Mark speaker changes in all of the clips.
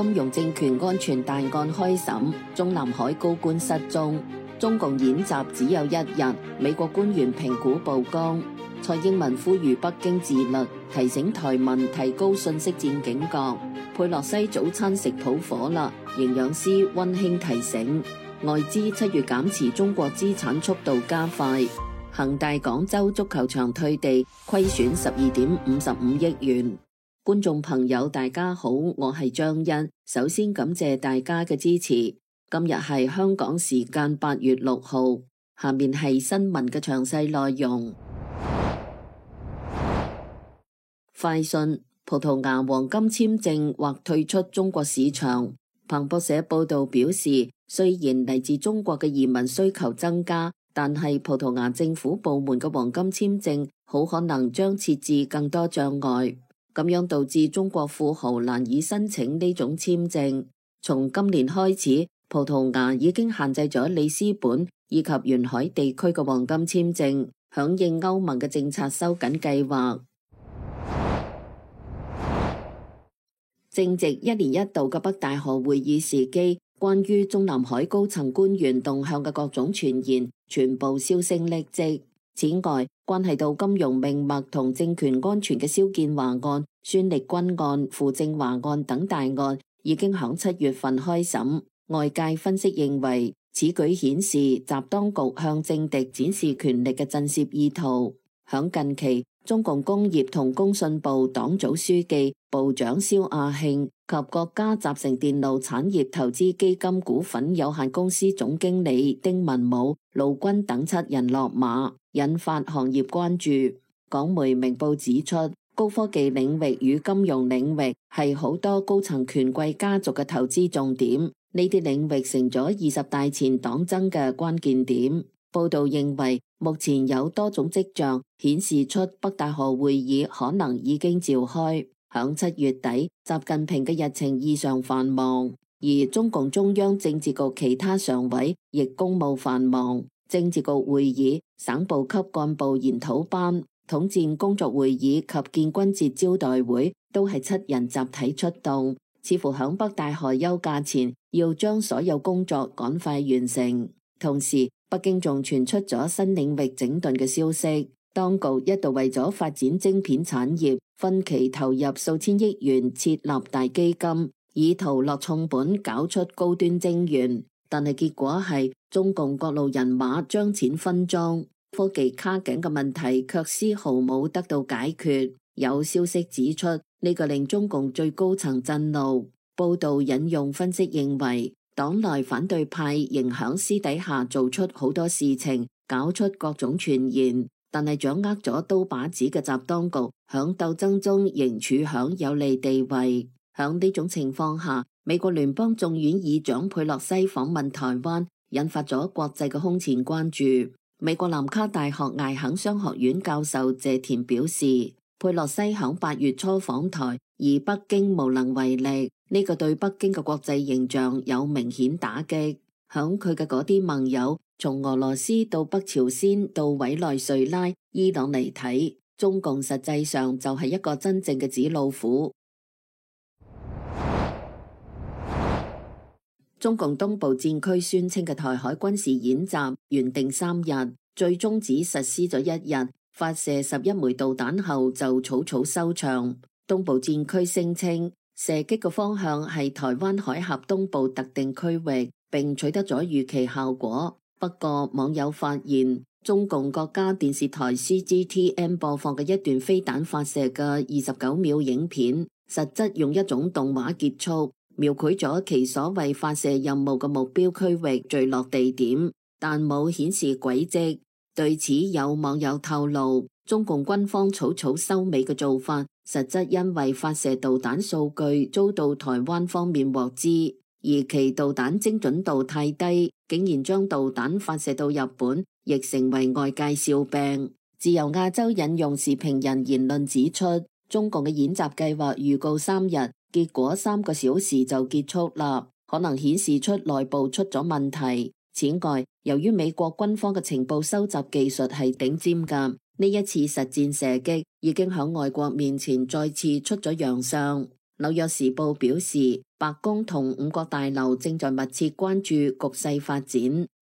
Speaker 1: 金融政權安全大案開審，中南海高官失蹤。中共演習只有1日，美國官員評估曝光。蔡英文呼籲北京自律，提醒台民提高信息戰警覺。佩洛西早餐食譜火啦，營養師溫馨提醒。外資7月減持中國資產速度加快。恒大廣州足球場退地，虧損12.55億元。觀眾朋友大家好，我係張欣，首先感謝大家嘅支持。今日係香港時間8月6號，下面係新聞嘅詳細內容。快訊：葡萄牙黃金簽證或退出中國市場。彭博社報道表示，雖然嚟自中國嘅移民需求增加，但係葡萄牙政府部門嘅黃金簽證好可能將設置更多障礙，咁樣導致中國富豪難以申請呢種簽證。從今年開始，葡萄牙已經限制咗里斯本以及沿海地區嘅黃金簽證，響應歐盟嘅政策收緊計劃。正值1年1度嘅北戴河會議時機，關於中南海高層官員動向嘅各種傳言全部銷聲匿跡。此外，關係到金融命脈同政權安全嘅肖建華案、孫力軍案、傅政華案等大案已經響7月份開審。外界分析認為，此舉顯示習當局向政敵展示權力嘅震懾意圖。響近期，中共工業同工信部黨組書記、部長肖亞慶及國家集成電路產業投資基金股份有限公司總經理丁文武、陸軍等7人落馬，引發行業關注。港媒明報指出，高科技領域與金融領域係好多高層權貴家族嘅投資重點，呢啲領域成咗20大前黨爭嘅關鍵點。報道認為，目前有多種跡象顯示出北戴河會議可能已經召開。響7月底，習近平嘅日程異常繁忙，而中共中央政治局其他常委亦公務繁忙。政治局會議、省部級幹部研討班、統戰工作會議及建軍節招待會都係7人集體出動，似乎響北戴河休假前要將所有工作趕快完成。同時，北京仲傳出咗新領域整頓嘅消息，當局一度為咗發展晶片產業，分期投入數千億元設立大基金，以圖落重本搞出高端晶圓。但係結果係中共各路人馬將錢分贓，科技卡頸嘅問題卻絲毫冇得到解決。有消息指出，呢個令中共最高層震怒。報道引用分析認為，黨內反對派仍響私底下做出好多事情，搞出各種傳言，但係掌握咗刀把子嘅習當局響鬥爭中仍處響有利地位。響呢種情況下，美國聯邦眾院議長佩洛西訪問台灣，引發咗國際嘅空前關注。美國南卡大學艾肯商學院教授謝田表示，佩洛西響8月初訪台，而北京無能為力，呢個對北京嘅國際形象有明顯打擊。響佢嘅嗰啲盟友，從俄羅斯到北朝鮮到委內瑞拉、伊朗嚟睇，中共實際上就係一個真正嘅紙老虎。中共東部戰區宣稱嘅台海軍事演習原定3日，最終只實施咗1日，發射11枚導彈後就草草收場。東部戰區聲稱射擊嘅方向係台灣海峽東部特定區域，並取得咗預期效果。不過網友發現，中共國家電視台 CGTN 播放嘅一段飛彈發射嘅29秒影片，實質用一種動畫結束，描繪咗其所謂發射任務嘅目標區域墜落地點，但冇顯示軌跡。對此，有網友透露，中共軍方草草收尾嘅做法，實質因為發射導彈數據遭到台灣方面獲知，而其導彈精準度太低，竟然將導彈發射到日本，亦成為外界笑柄。自由亞洲引用時評人言論指出，中共嘅演習計劃預告3日，結果3個小時就結束啦，可能顯示出內部出咗問題。此外，由於美國軍方嘅情報收集技術係頂尖㗎，呢一次實戰射擊已經喺外國面前再次出咗洋相。紐約時報表示，白宮同五角大樓正在密切關注局勢發展，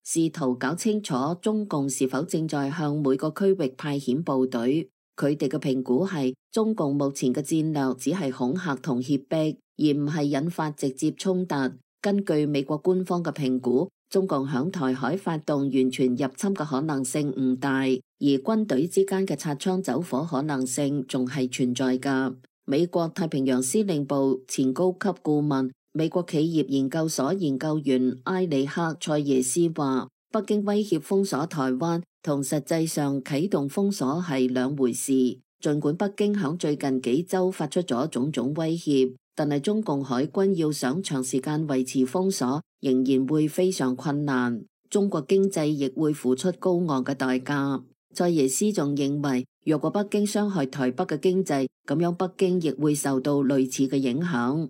Speaker 1: 試圖搞清楚中共是否正在向每個區域派遣部隊。佢哋嘅評估係，中共目前嘅戰略只係恐嚇同脅迫，而唔係引發直接衝突。根據美國官方嘅評估，中共響台海發動完全入侵嘅可能性唔大，而軍隊之間嘅擦槍走火可能性仲係存在㗎。美國太平洋司令部前高級顧問、美國企業研究所研究員埃里克·塞耶斯話，北京威脅封鎖台灣同實際上啟動封鎖係兩回事。儘管北京響最近幾週發出咗種種威脅，但係中共海軍要想長時間維持封鎖，仍然會非常困難。中國經濟亦會付出高昂嘅代價。塞耶斯仲認為，若果北京傷害台北嘅經濟，咁樣北京亦會受到類似嘅影響。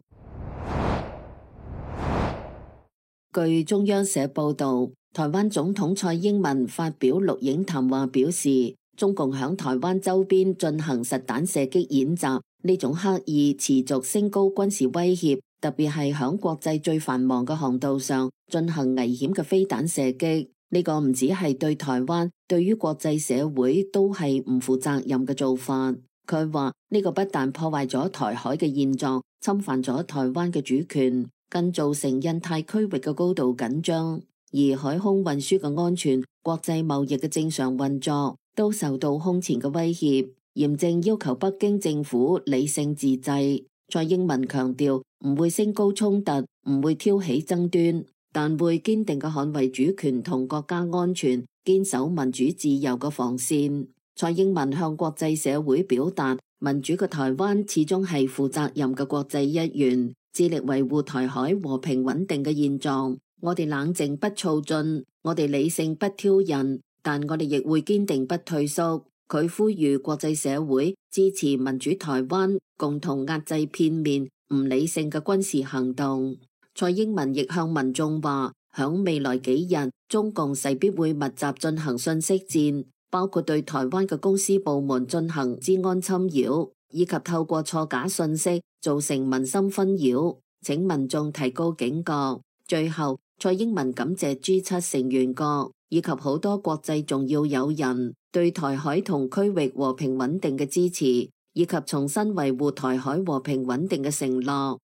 Speaker 1: 據中央社報導，台灣總統蔡英文發表錄影談話表示，中共響台灣周邊進行實彈射擊演習，呢種刻意持續升高軍事威脅，特別係響國際最繁忙嘅航道上進行危險嘅飛彈射擊。呢個唔止係對台灣，對於國際社會都係唔負責任嘅做法。佢話呢個不但破壞咗台海嘅現狀，侵犯咗台灣嘅主權，更造成印太區域嘅高度緊張，而海空運輸嘅安全、國際貿易嘅正常運作都受到空前嘅威脅，嚴正要求北京政府理性自制。蔡英文強調唔會升高衝突，唔會挑起爭端，但會堅定嘅捍衛主權同國家安全，堅守民主自由嘅防線。蔡英文向國際社會表達，民主嘅台灣始終係負責任嘅國際一員，致力維護台海和平穩定嘅現狀。我哋冷靜不躁進，我哋理性不挑釁，但我哋亦會堅定不退縮。佢呼籲國際社會支持民主台灣，共同壓制片面唔理性嘅軍事行動。蔡英文亦向民眾話，響未來幾日，中共勢必會密集進行信息戰，包括對台灣嘅公司部門進行資安侵擾，以及透過錯假信息造成民心紛擾，請民眾提高警覺。最後，蔡英文感謝 G7 成員國以及好多國際重要友人對台海同區域和平穩定嘅支持，以及重新維護台海和平穩定嘅承諾。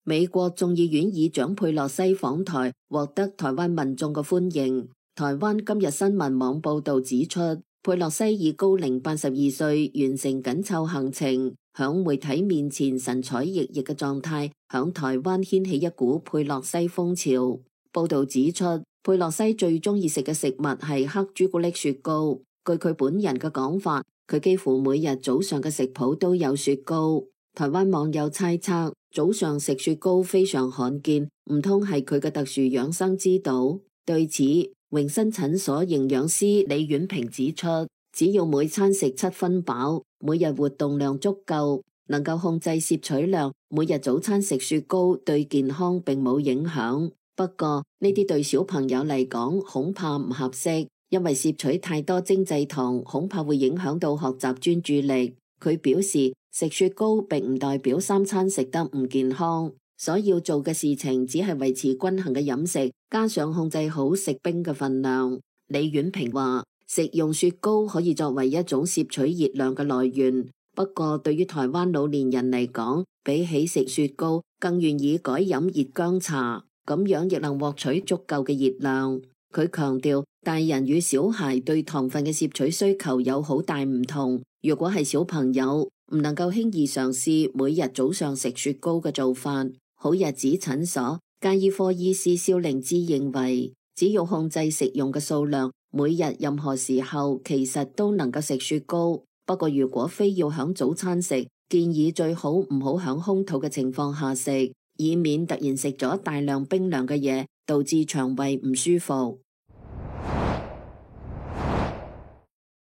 Speaker 1: 美國眾議院議長佩洛西訪台，獲得台灣民眾嘅歡迎。台灣今日新聞網報道指出，佩洛西以高齡82歲完成緊湊行程，響媒體面前神采奕奕嘅狀態，響台灣掀起一股佩洛西風潮。報道指出，佩洛西最中意食嘅食物係黑朱古力雪糕。據佢本人嘅講法，佢幾乎每日早上嘅食譜都有雪糕。台灣網友猜測，早上食雪糕非常罕見，唔通係佢嘅特殊養生之道？對此，榮新診所營養師李婉萍指出，只要每餐食7分飽，每日活動量足夠，能夠控制攝取量，每日早餐食雪糕對健康並冇影響。不過呢啲對小朋友嚟講恐怕唔合適，因為攝取太多精製糖恐怕會影響到學習專注力。佢表示，食雪糕並唔代表3餐食得唔健康，所要做嘅事情只係維持均衡嘅飲食，加上控制好食冰嘅分量。李婉萍話，食用雪糕可以作為一種攝取熱量嘅來源，不過對於台灣老年人嚟講，比起食雪糕，更願意改飲熱薑茶，咁樣亦能獲取足夠嘅熱量。佢強調，大人與小孩對糖分嘅攝取需求有好大唔同。如果係小朋友，唔能夠輕易嘗試每日早上食雪糕嘅做法。好日子診所家醫科醫師蕭令芝認為，只要控制食用嘅數量，每日任何時候其實都能夠食雪糕。不過如果非要響早餐食，建議最好唔好響空肚嘅情況下食，以免突然食咗大量冰涼嘅嘢，導致腸胃唔舒服。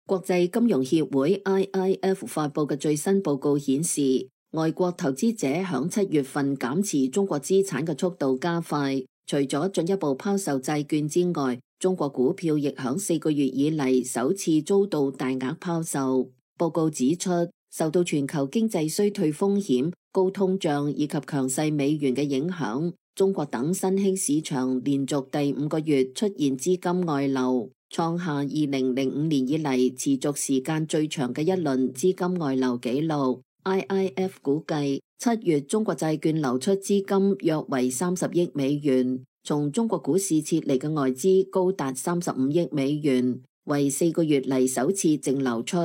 Speaker 1: 國際金融協會 IIF 發佈嘅最新報告顯示，外國投資者響7月份減持中國資產嘅速度加快，除咗進一步拋售債券之外，中國股票亦響4個月以嚟首次遭到大額拋售。報告指出，受到全球經濟衰退風險、高通脹以及強勢美元嘅影響，中國等新興市場連續第5個月出現資金外流，創下2005年以嚟持續時間最長嘅一輪資金外流紀錄。IIF 估計7月中國債券流出資金約為30億美元，從中國股市撤離嘅外資高達35億美元，為4個月嚟首次淨流出。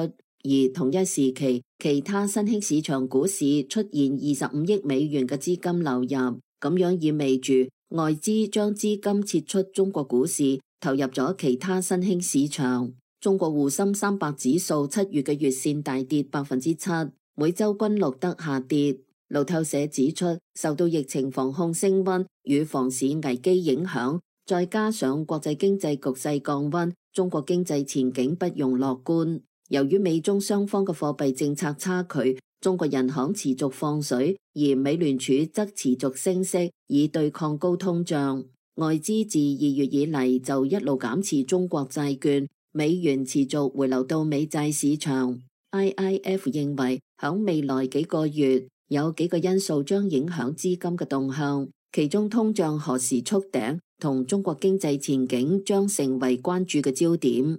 Speaker 1: 而同一時期，其他新興市場股市出現25億美元嘅資金流入，咁樣意味住外資將資金撤出中國股市，投入咗其他新興市場。中國滬深300指數7月嘅月線大跌7%，每周均錄得下跌。路透社指出，受到疫情防控升溫與房市危機影響，再加上國際經濟局勢降溫，中國經濟前景不容樂觀。由於美中雙方嘅貨幣政策差距，中國人行持續放水，而美聯儲則持續升息，以對抗高通脹。外資自2月以嚟就一路減持中國債券，美元持續回流到美債市場。IIF 認為，響未來幾個月有幾個因素將影響資金嘅動向，其中通脹何時觸頂同中國經濟前景將成為關注嘅焦點。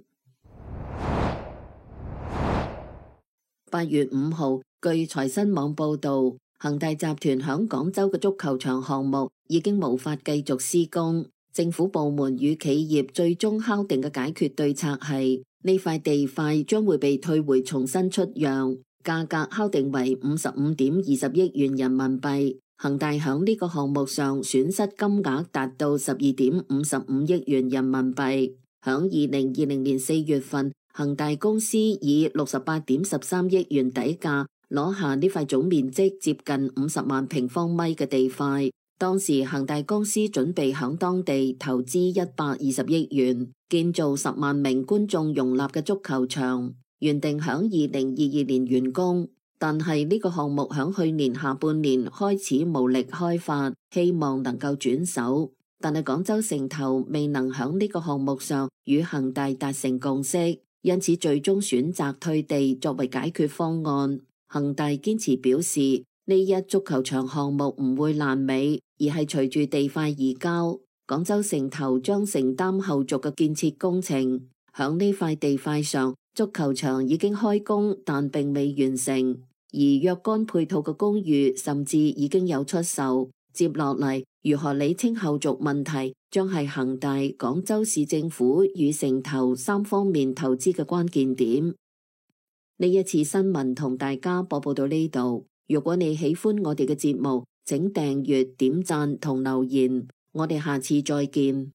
Speaker 1: 8月5號，據財新網報導，恒大集團響廣州嘅足球場項目已經無法繼續施工。政府部門與企業最終敲定嘅解決對策係，呢塊地塊將會被退回重新出讓，價格敲定為55.20億元人民幣。恒大響呢個項目上損失金額達到12.55億元人民幣。響2020年4月份，恒大公司以68.13億元底價攞下呢塊總面積接近50萬平方米嘅地塊。當時恒大公司準備響當地投資120億元建造10萬名觀眾容納嘅足球場，原定響2022年完工。但係呢個項目響去年下半年開始無力開發，希望能夠轉手。但係廣州城投未能響呢個項目上與恒大達成共識，因此最終選擇退地作為解決方案。恒大堅持表示，呢一足球場項目唔會爛尾，而係隨住地塊移交，廣州城投將承擔後續嘅建設工程。響呢塊地塊上，足球場已經開工，但並未完成，而若干配套嘅公寓甚至已經有出售。接落嚟，如何理清後續問題，將係恒大、廣州市政府與城投3方面投資嘅關鍵點。呢一次新聞同大家播報到呢度。如果你喜歡我哋嘅節目，請訂閱、點讚同留言。我哋下次再見。